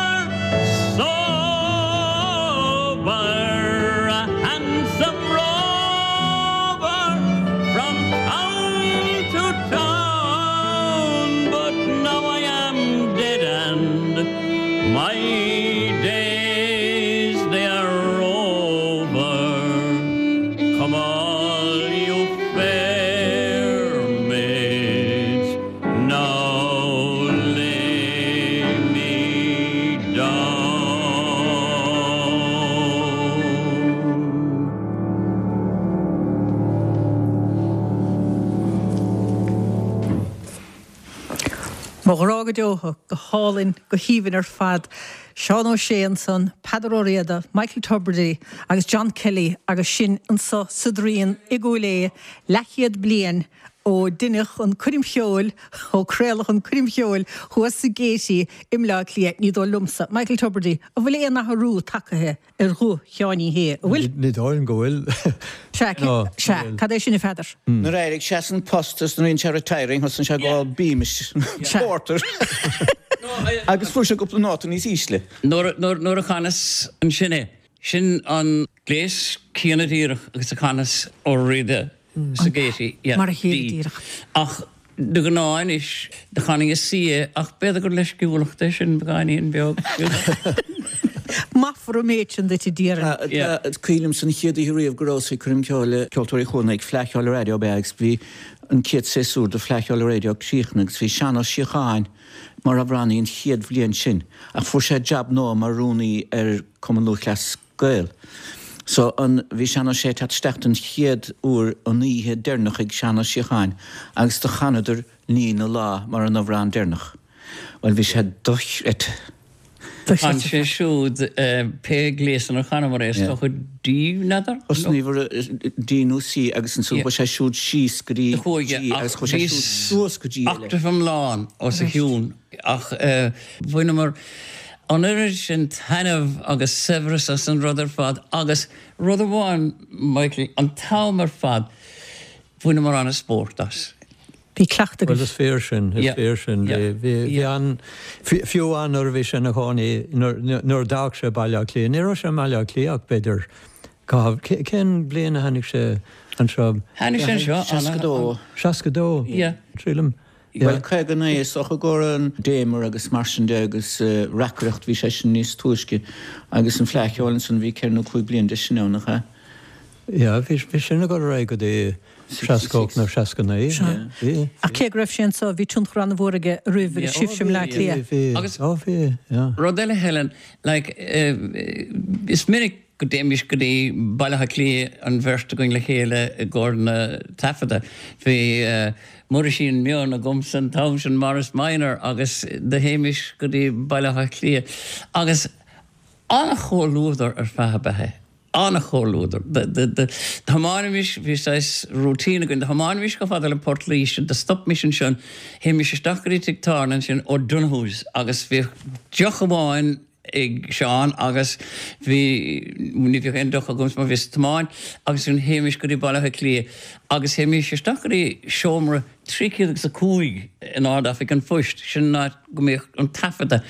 sober. A handsome rover from town to town, but now I am dead and my days they are over. Come all you fair maids, now lay me down. Mo ghrá go deo thú, go hálainn, go haoibhinn ar fad. Seán Ó Sé ansan, Peadar Ó Riada, Michael Tubridy agus John Kelly agus sinn anso sa Draíon i gCúil Aodha leathchéad bliain ó deineadh an coirm cheoil, ó craoladh an coirm cheoil thuas sa Gaiety i mBleá Cliath. Ní dóigh liomsa, Michael Tubridy, an bhfuil aon athrú tagtha ar ghuth Sheáin Uí Shé, an bhfuil? Ní dóigh liom go bhfuil. Sea, sea. Cad é sin a Pheadair? Nuair a d'éirigh sé as an post is nuair a dhein sé retiring thosaigh sé ag ól Beamish Porter agus fuair sé cúpla nóta níos ísle. Nuair a chanas ansin é, sin an gléas céanna díreach agus a chanas Ó Riada sa Gaiety, yeah, Mar a chéile díreach. Ach de ghnáth anois, do chanfainn i C é, ach b'fhéidir gur leisciúlacht é sin, beagáinín beag. Maithfear an méid sin duit, a déarfainn. Yeah. Is cuimhin liomsa an chéad oíche riamh go rabhas ag coirm ceoil le Ceoltóirí Chualann ag Fleadh Cheoil Raidió ab ea agus bhí an chéad séasúr de Fleadh Cheoil Raidió críochnaithe agus bhí Seán Ó Síocháin mar amhránaí an chéad bhliain sin ach fuair sé jab nua mar rúnaí ar Cumann Lúthchleas Gael. So an, bhí Seán Ó Sé ag teacht isteach don chéad uair an oíche deireanach ag Seán Ó Síocháin agus do chanadar Ní na Lá mar an amhrán deireanach. Bhuel bhí sé dochreidte. Chan sé siúd pé gléas inar chanamar é, is dócha D, n'fheadar? Thosnaíomar D nó C agus ansan chuaigh sé siúd síos go dtí G agus chuaigh sé siúd suas go G eile. Octave iomlán os a chionn ach bhaineamar an oiread sin taitneamh agus saibhreas as an rud ar fad agus rud amháin, Michael, an t-am ar fad bhaineamar an-spórt as. Bhí cleachtadh agaibh. Bhuel, is fíor sin, is fíor sin. Bhí, bhí an, fiú amháin nuair a bhí sé ina chónaí, nuair a d'fhág sé Baile Átha Cliath, ní raibh sé i mBaile Átha Cliath ach b'fhéidir caitheamh, cén bhliain a tháinig sé anseo? Tháinig sé anseo, 62. 62? Yeah. Sílim. Bhuel, 59 is dócha go raibh an Damer agus mar sin de agus reacaireacht, bhí sé sin níos túisce agus an Fleadh Cheoil ansan, bhí ceithre nó cúig bliana de sin ann, nach ea? Yeah, bhí, bhí sin ag dul ar aghaidh go dtí 68 nó 69. Sea. Bhí. Ach cé go raibh sé anso, bhí tionchar an-mhór aige roimh agus sibhse i mBleá Cliath. Bhí, bhí, ó bhí, yeah. Rud eile Helen, like, is minic go dtéimis go dtí Baile Átha Cliath an bheirt againn le chéile i gcomhair na taifeadta. Bhí Muirisín mion agamsa an t-am sin, Morris Minor, agus do théimis go dtí Baile Átha Cliath agus an-chomhluadar ar feadh ab ea é. An-chomhluadar. Do thiomáinimis, bhí saghas routine againn, do thiomáinimis chomh fada le Port Laoise, do stopaimis ansin, théimis isteach go dtí tigh tábhairne ansin, O'Donoghue's, agus bhíodh deoch amháin ag Seán agus bhí, ní bhíodh aon deoch agamsa mar bhíos ag tiomáint, agus ansin théimis go dtí Baile Átha Cliath agus théimis isteach go dtí seomra 305 in Ard-Oifig an Phoist, sin an áit go mbíodh an taifeadadh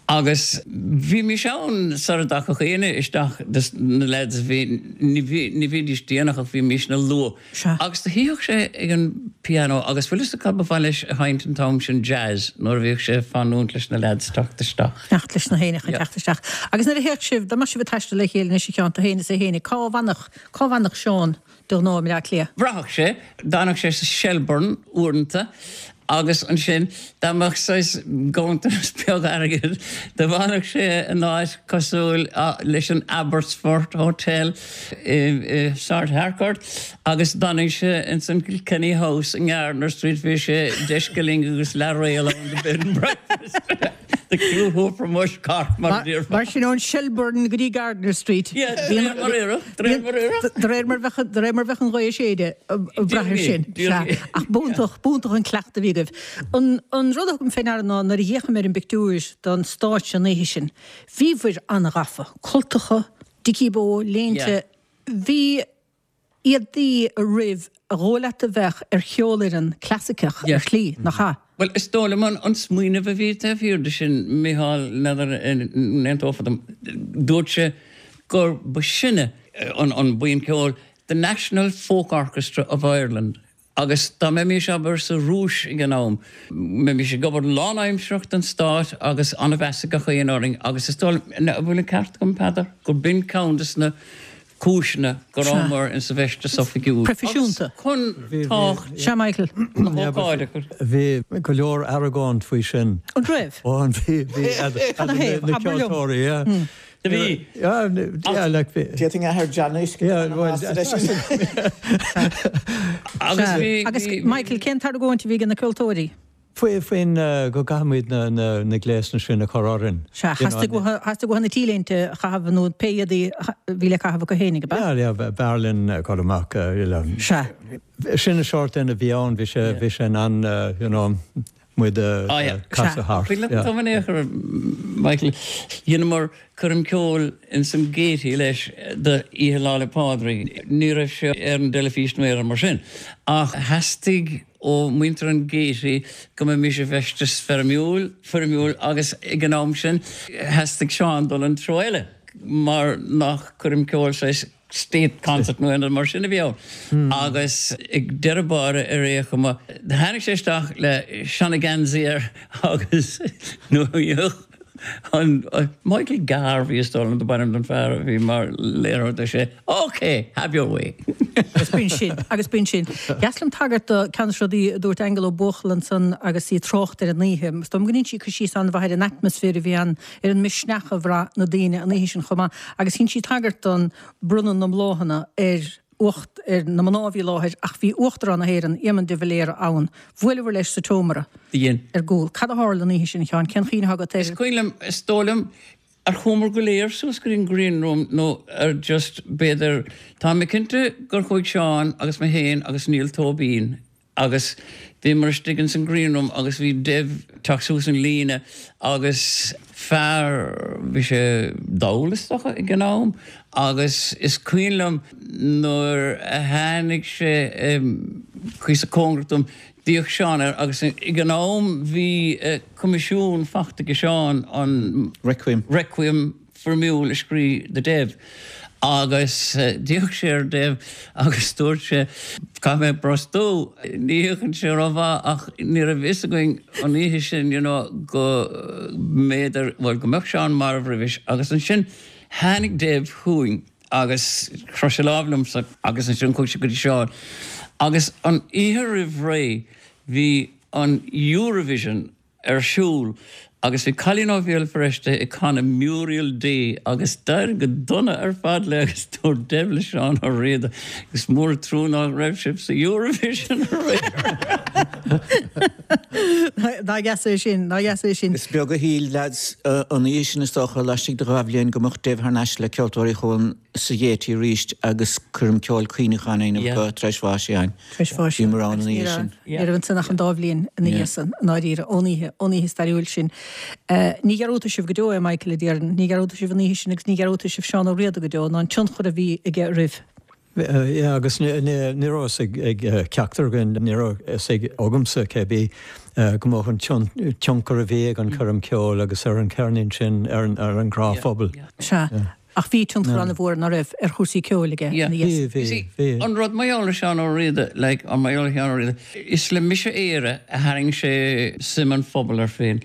agus bhímis ann sara dtagadh éinne isteach des na lads a bhí, ní bhí, ní bhídís déanach ach bhímisne luath. Sea. Agus do shuíodh sé ag an pianó agus bhfuil fhios agat cad ba mhaith leis a sheinnt an t-am sin, jazz, nuair a bhíodh sé ag fanúint leis na leaids teacht isteach. Fanacht leis na héinne chun teacht isteach. Agus nuair a théadh sibh, dá mbeadh sibh ag taisteal le chéile anois a Sheáin, tú féin is é féin, cá bhfanfadh, cá bhfanfadh Seán de ghnáth i mBleá Cliath? Bhraitheadh sé, d'fhanadh sé sa Shelbourne uaireanta agus ansin dá mbeadh saghas ganntanas beag airgid do bhfanadh sé in áit cosúil leis an Abbotsford Hotel i Sráid Harcourt agus d'fhanadh sé ins an Kilkenny House i nGardiner Street bhí sé deich scilling agus leathréal ann do bed and breakfast. The crew who from Mushcart mar a déarfá. Mar sin ón Shelbourne go dtí Gardiner Street. Yeah, de réir mar oirfeadh, de réir mar oirfeadh. De réir mar bheadh, de réir mar bheadh an ghaoth ag séideadh, ag brath ar sin. Sea. Ach b'iontach, b'iontach an cleachtadh a bhí agaibh. An, an rud a thugaim fé ndeara ná nuair a d'fhéachaim ar an bpictiúr don stáitse an oíche sin, bhíobhair an-ghafa. Cultacha, dicky bow, léinte, bhí éadaí oraibh a dhóigh leat a bheadh ar cheolfhoireann clasaiceach ar shlí, nach ea? Bhuel, is dóigh liom an smaoineamh a bhí taobh thiar de sin, Micheál, n'fheadar an n-aontófá liom, dúirt sé gur ba sinne an buíon ceoil, The National Folk Orchestra of Ireland, Agus dá mbeimis, abair, sa Rúis ag an am, mbeimis ag obair lánaimsearach don stát agus an-mheas ag gach éinne orainn agus is dóigh liom, an bhfuil an ceart agam, Peadar, gur b'in ceann des na cúiseanna go rabhamar in sa bhfeisteas oifigiúil agus chun tábhacht Sea, Michael. na hócáide a chur. Bhí go leor argóint faoi sin. An raibh? Ó, bhí, bhí, Cad a thaobh? na Abair liom. ceoltóirí, yeah. Do bhí. D'fhéadfainn athair John a fheiscint leis. Agus bhí. Agus Michael, cén t-argóint a bhí ag na ceoltóirí? Faoin go gcaithfimid na gléasanna sin a chur orainn. Sea, theastaigh uathu na T-léinte a chaitheamh nó pé éadaí a bhí le caitheamh acu fhéinig, ab ea? Yeah, yeah, b'fhearr linn dul amach. Sea. Sin an sórt duine a bhí ann, bhí sé, bhí sé in ann, you know, muid a chasadh thart. Cuimhin liom in aon chor, Michael, dheineamar coirm ceoil ins an Gaiety leis do Oíche Lá 'le Pádraig. Ní raibh sé ar an dteilifís nó aon rud mar sin ach theastaigh ó mhuintir an Gaiety go mbeimis i bhfeisteas feirmiúil, foirmiúil agus ag an am sin theastaigh Seán dul an treo eile mar nach coirm ceoil saghas state concert nó aon rud mar sin a bhí ann. Agus ag deireadh báire ar aon chuma, tháinig sé isteach le seana-gheansaí air agus nuair a an Michael Garvey is dóigh liom dob ainm don fear a bhí mar léiritheoir dúirt sé OK, have your way. Agus b'in sin, agus b'in sin. Dheas liom tagairt do ceann de na rudaí a dúirt Aingeal Ó Buachalla ansan agus í ag trácht ar an oíche. Is dóigh liom go ndein sí cur síos an-mhaith ar an atmaisféar a bhí ann ar an misneach a bhraith na daoine an oíche sin chomh maith agus dhein sí tagairt don bronnadh na mbláthanna ar uacht ar na mná a bhí i láthair ach bhí Uachtarán na hÉireann, Éamon de Valera, ann. Bhuaileabhair leis sa tseomra Dhein. ar gcúl. Cad a tharla an oíche sin, a Sheáin? Cén chuimhne atá agat air? Is cuimhin liom, is dóigh liom, ar chuamar go léir suas go dtí an green room nó ar just, b'fhéidir, tá mé cinnte gur chuaigh Seán agus mé féin agus Niall Tóibín Agus bhíomar istigh ins an green room agus bhí Dev teacht suas an líne agus fear, bhí sé dall is dócha ag an am agus is cuimhin liom nuair a tháinig sé cuíosach cóngarach dom, d'fhéach Seán air agus ag an am bhí coimisiún fachta ag Seán an Requiem. Requiem foirmiúil a scríobh do Dev agus d'fhéach sé ar Dev agus dúirt sé, Caithfidh mé brostú, ní fhéachann sé rómhaith ach ní raibh fhios againn an oíche sin you know go mb'fhéidir, bhuel go mbeadh Seán marbh roimhis agus ansin tháinig Dev chugainn agus chroith sé lámh liomsa agus ansin chuaigh sé go dtí Seán agus an oíche roimh ré bhí an Eurovision ar siúl agus bhí cailín ó Bhéal Feirste ag canadh Muriel Day agus d'éirigh go dona ar fad léi agus dúirt Dev le Seán Ó Riada is mór an trua nach raibh sibh sa Eurovision aréir. Nár dheas é sin, nár dheas é sin. Is beag a shíl leaids an oíche sin is dócha, laistigh de dha bhliain go mbeadh Dev thar n-ais le Ceoltóirí Chualann sa Ghaiety arís agus coirm ceoil cuimhneacháin a dhéanamh acu tar éis bháis Sheáin. Tar éis bháis. Bhíomar ann an oíche sin. Ní raibh ansin ach an dá bhliain ina dhiaidh san, i ndáiríre, ón oíche, ón oíche stairiúil sin. Ní dhearúdfaidh sibh go deo é, Michael, a déarfainn. Ní dhearúdfaidh sibh an oíche sin agus ní dhearúdfaidh sibh Seán Ó Riada go deo, ná an tionchar a bhí aige oraibh. Yeah, agus ní raibh fhios ag ceachtar againn, ní raibh fhios ag agamsa, cé bith, go mbeadh an tionchar a bhí ag an choirm ceoil agus ar an cheirnín sin ar an ghnáthphobal. Sea. Ach bhí tionchar an-mhór, ná raibh, ar chúrsaí ceoil aige ina dhiaidh san. Bhí, bhí, bhí. An rud mar gheall ar Seán Ó Riada, like, an mar gheall ar Sheán Ó Riada, is le Mise Éire a tharraing sé suim an phobail air féin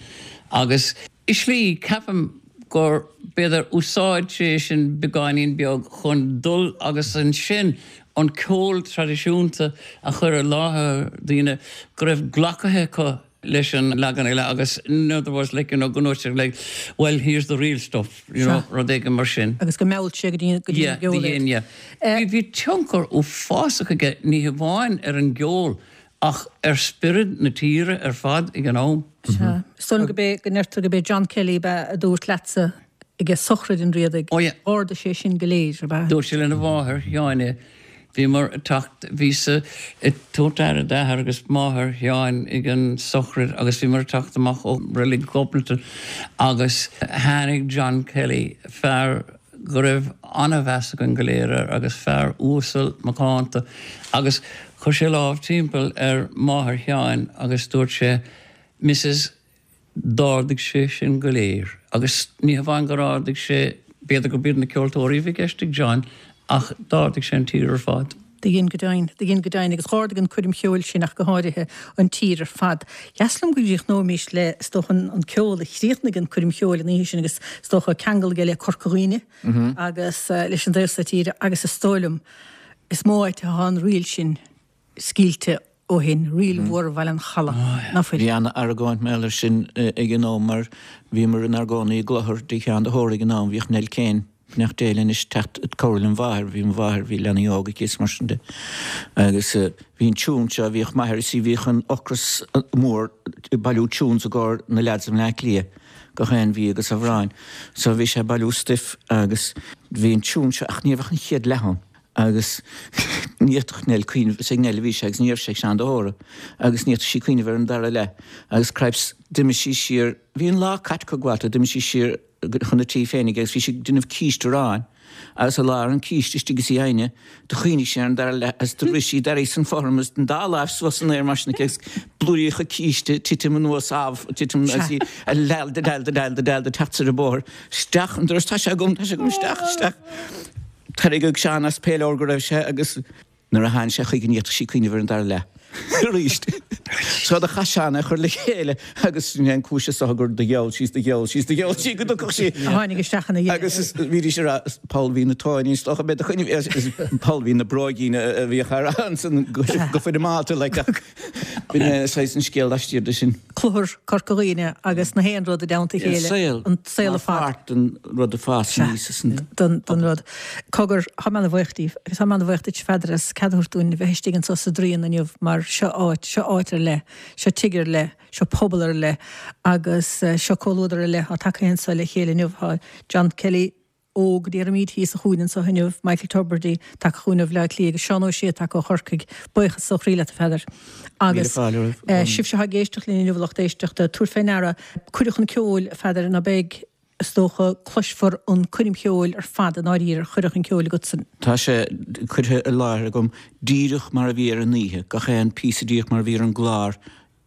agus i slí, ceapaim gur, b'fhéidir, úsáid sé sin beagáinín beag chun dul agus ansin an ceol traidisiúnta a chur i láthair daoine go raibh glactha acu leis an leagan eile agus in other words like you know go ndúirt sé like well here's the real stuff you know rud éigin mar sin. Agus go meall sé go dtí go dtí an gceol iad. Yeah, yeah. Bhí tionchar uafásach aige ní hamháin ar an gceol. Ach ar spiorad na tíre ar fad ag an am. Sea. Is dóigh liom go b'é, go ndeirtear go b'é John Kelly ab ea a dúirt leatsa ag sochraid an Riadaigh. Ó yeah. Ardaigh sé sin go léir, ab ea? Dúirt sé lena mháthair Sheáin é. Bhíomar ag teacht, bhíos-sa ag tabhairt aire d'athair agus máthair Sheáin ag an sochraid agus bhíomar ag teacht amach ó reilig Ghobnatan agus tháinig John Kelly, fear, go raibh an-mheas againn go léir air agus fear uasal macánta agus chuir sé lámh timpeall ar mháthair Sheáin agus dúirt sé Missus d'ardaigh sé sinn go léir agus ní hamháin gur ardaigh sé, b'fhéidir gurb iad na ceoltóirí a bhí i gceist ag John ach d'ardaigh sé an tír ar fad. Do dhein go deimhin, do dhein go deimhin agus dh'ardaigh an coirm cheoil sin ach go háirithe an tír ar fad. Dheas liom go gcríochnóimis le, is dócha, an ceol a chríochnaigh an coirm cheoil an oíche sin agus is dócha ceangal aige le Corca Dhuibhne agus leis an dtaobh so tíre agus is dóigh liom is mó áit atá an ríl sin scaoilte ó shin, Ríl Mhór Bhaile an Chalaidh, ná fuil? Bhí ana-argóint mar gheall air sin ag an am mar bhíomar inár gcónaí i gClochar dtigh Sheáin de hÓra ag an am, bhíodh Nell Kane, beannacht Dé léi anois, teacht ag cabhrú lem mháthair, bhí mo mháthair, bhí leanaí óga aici is mar sin de. Agus bhí an tiún seo, bhíodh m'athair, is bhíodh an ocras mór ag bailiú tunes i gcomhair na leaids i mBleá Cliath gach aon mhí agus amhráin. So bhí sé ag bailiú stuif agus bhí an tiún seo ach ní raibh ach an chéad leath ann. Agus ní fhéadfadh Nell cuimhneamh, is ag Nell a bhí sé agus ní raibh sé ag Seán de hÓra, agus ní fhéadfadh sí cuimhneamh ar an dara leath. Agus cripes, d'imigh sí siar, bhí an lá caite acu go Walter, d'imigh sí siar chun a tí féinig agus bhí sí ag déanamh císte aráin agus i lár an císte istigh is í á dhéanamh, do chuimhnigh sí ar an dara leath agus do rith sí, d'éirigh as an fothram agus an dá láimh suas san aer mar sin aici agus blúiríocha císte ag titim anuas ámh, ag titim agus í a leal de leal de leal de leal de teacht soir an bóthar, isteach an doras, tá sé agam, tá sé agam, isteach, isteach. Tarraingeadh Seán as pé leabhar go raibh sé agus nuair a tháinig sé chuige ní fhéadfadh sí cuimhneamh ar an dara leath arís. So do chaith Seán é a chur le chéile agus sin é an cúis is dócha gur do gheall sí is do gheall sí is do gheall sí go dtiocfadh sí. A tháinig isteach ina dhiaidh. Agus bhídís ag rá Poll Mhín na Tóiní is dócha b'fhéidir cuimhneamh Poll Mhín na Bróigín a bhíodh á rá ansan go foirmeálta like ach b'in é saghas an scéal laistiar de sin. Cluthar Corca Dhuibhne agus na haon rud i dteannta a chéile, an saol ar fad. Mar pháirt den rud a fás aníos as an. den rud. Cogar, tá mé ana-bhuíoch díbh agus tá mé ana-bhuíoch duit, Pheadair, as cead a thabhairt dúinn a bheith istigh anseo sa Draíon inniu mar seo áit, seo áit ar leith, seo tigh ar leith, seo pobal ar leith agus seo comhluadar ar leith atá tagtha anseo le chéile inniu. Tá John Kelly, óg, déarfaimid, thíos sa chúinne anseo inniu, Michael Tubridy, tagtha chugainn ó Bhleá Cliath agus Seán Ó Sé tagtha ó Chorcaigh. Buíochas ó chroí leat, a Pheadair. Agus sibhse atá ag éisteacht linn inniu, a lucht éisteachta, tabhair fé ndeara, cuireadh chun ceoil, a Pheadair, ná beidh, is dócha, cloisfear an coirm cheoil ar fad i ndáiríre ar chuireadh chun ceoil agatsan. Tá sé curtha i láthair agam díreach mar a bhí ar an oíche, gach aon phíosa díreach mar a bhí ar an gclár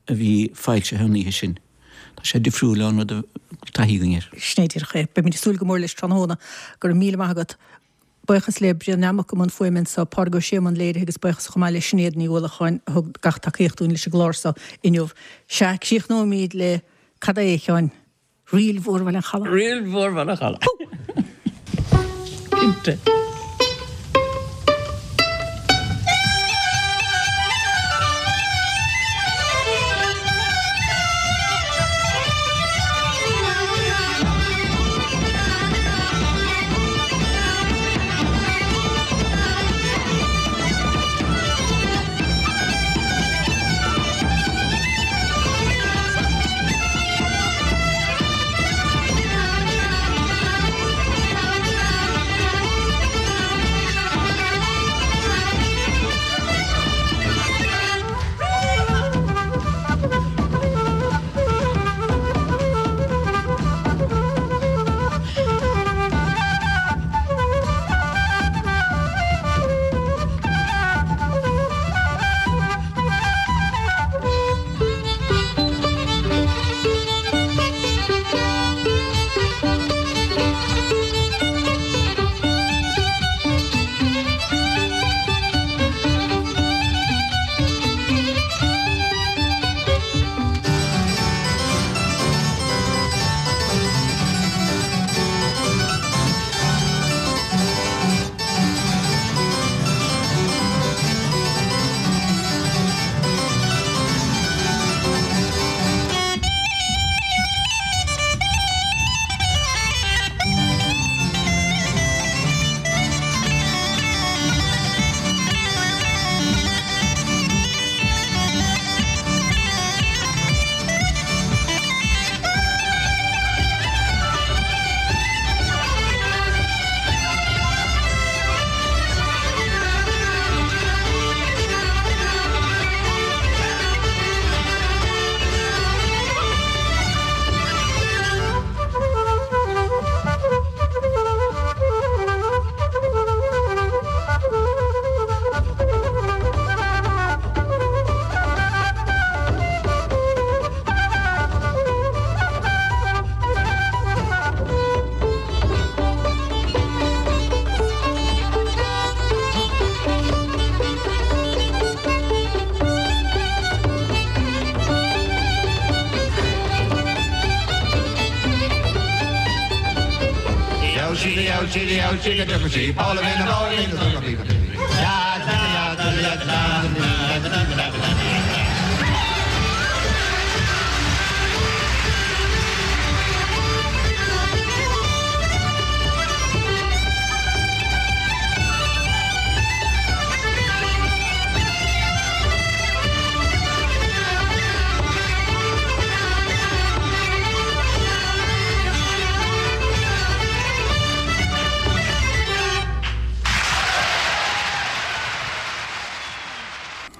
a bhí foilsithe an oíche sin. Tá sé difriúil ón rud a bhfuil taithí againn air. Sin é díreach é. Beimid ag súil go mór leis tráthnóna. Go raibh míle maith agat. Buíochas le Brian Nammock i mbun fuaime anseo, Pádraig Ó Sé i mbun léirithe agus buíochas chomh maith le Sinéad Ní Uallacháin a thug gach tacaíocht dúinn leis an gclár seo inniu. Sea, críochnóimid le cad é, a Sheáin? Ríl Mhór Bhaile an Chalaidh. Ríl Mhór Bhaile an Chalaidh. Cinnte.